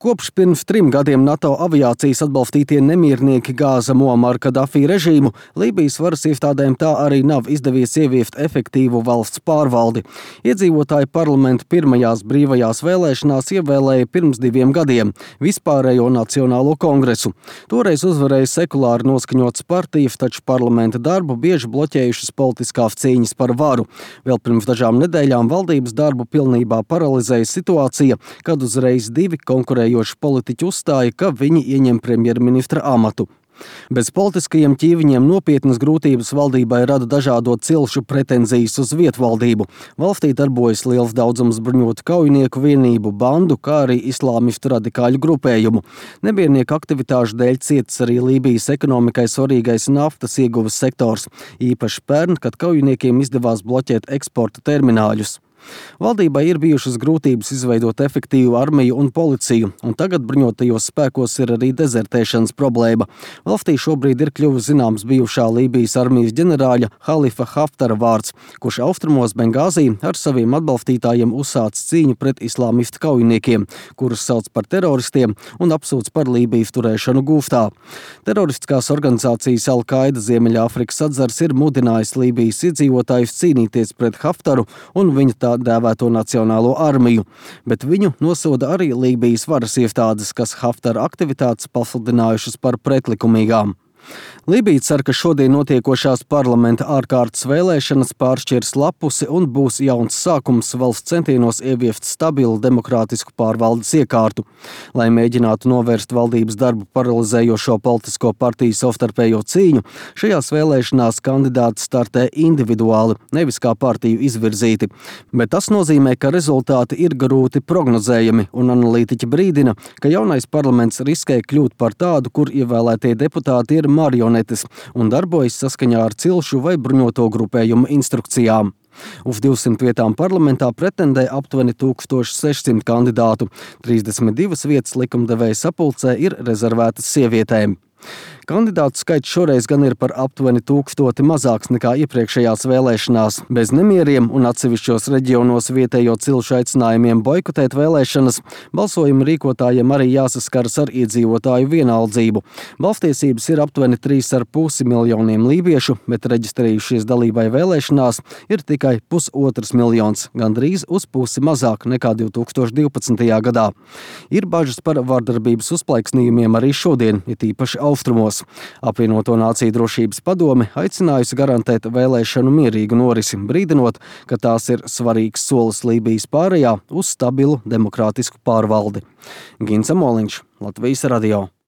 Kopš pirms 3 gadiem NATO aviācijas atbalstītie nemiernieki gāza Muamara Kadafī režīmu, Lībijas varas iestādēm tā arī nav izdevies ieviest efektīvu valsts pārvaldi. Iedzīvotāji parlamenta pirmajās brīvajās vēlēšanās ievēlēja pirms 2 gadiem vispārējo Nacionālo kongresu. Toreiz uzvarēja sekulāri noskaņotas partijas, taču parlamenta darbu bieži bloķējušas politiskās cīņas par varu. Vēl pirms dažām nedēļām valdības darbu pilnībā paralizēja situācija, kad uzreiz 2 konkurējoši politiķi uzstāja, ka viņi ieņem premjerministra amatu. Bez politiskajiem ķīviņiem nopietnas grūtības valdībai rada dažādo cilšu pretenzijas uz vietvaldību. Valstī darbojas liels daudzums bruņotu kaujinieku vienību, bandu, kā arī islāmistu radikāļu grupējumu. Nemiernieku aktivitāšu dēļ cietis arī Lībijas ekonomikai svarīgais naftas ieguves sektors, īpaši pērn, kad kaujiniekiem izdevās bloķēt eksporta termināļus. Valdībai ir bijušas grūtības izveidot efektīvu armiju un policiju, un tagad bruņotajos spēkos ir arī dezertēšanas problēma. Valstī šobrīd ir kļuvis zināms bijušā Lībijas armijas ģenerāļa Halifa Haftara vārds, kurš austrumos Bengāzī ar saviem atbalstītājiem uzsācis cīņu pret islāmistu kaujiniekiem, kurus sauc par teroristiem un apsūdz par Lībijas turēšanu gūstā. Teroristiskās organizācijas Al-Qaida Ziemeļāfrikas atzars ir mudinājis Lībijas iedzīvotājus cīnīties pret Haftaru un viņa tā dēvēto nacionālo armiju, bet viņu nosoda arī Lībijas varas iestādes, kas Haftara aktivitātes pasludinājušas par pretlikumīgām. Lībija cer, ka šodien notiekošās parlamenta ārkārtas vēlēšanas pāršķirs lapusi un būs jauns sākums valsts centienos ieviest stabilu demokrātisku pārvaldes iekārtu. Lai mēģinātu novērst valdības darbu paralizējošo politisko partiju savstarpējo cīņu, šajās vēlēšanās kandidāti startē individuāli, nevis kā partiju izvirzīti. Bet tas nozīmē, ka rezultāti ir grūti prognozējami, un analītiķi brīdina, ka jaunais parlaments riskē kļūt par tādu, kur ievēlētie deputāti ir marionetes un darbojas saskaņā ar cilšu vai bruņoto grupējumu instrukcijām. Uz 200 vietām parlamentā pretendē aptuveni 1600 kandidātu. 32 vietas likumdevēja sapulcē ir rezervētas sievietēm. Kandidātu skaits šoreiz gan ir par aptuveni 1000 mazāks nekā iepriekšējās vēlēšanās. Bez nemieriem un atsevišķos reģionos vietējo cilšu aicinājumiem boikotēt vēlēšanas, balsojuma rīkotājiem arī jāsaskaras ar iedzīvotāju vienaldzību. Balstiesības ir aptuveni 3,5 miljoniem lībiešu, bet reģistrējušies dalībai vēlēšanās ir tikai 1,5 miljons, gandrīz uz pusi mazāk nekā 2012. gadā. Ir bažas par vardarbības uzplaiksnījumiem arī šodien, it īpaši austrumos. Apvienoto Nāciju drošības padome aicinājusi garantēt vēlēšanu mierīgu norisi, brīdinot, ka tās ir svarīgs solis Lībijas pārējā uz stabilu demokrātisku pārvaldi. Gins Amoliņš, Latvijas radio.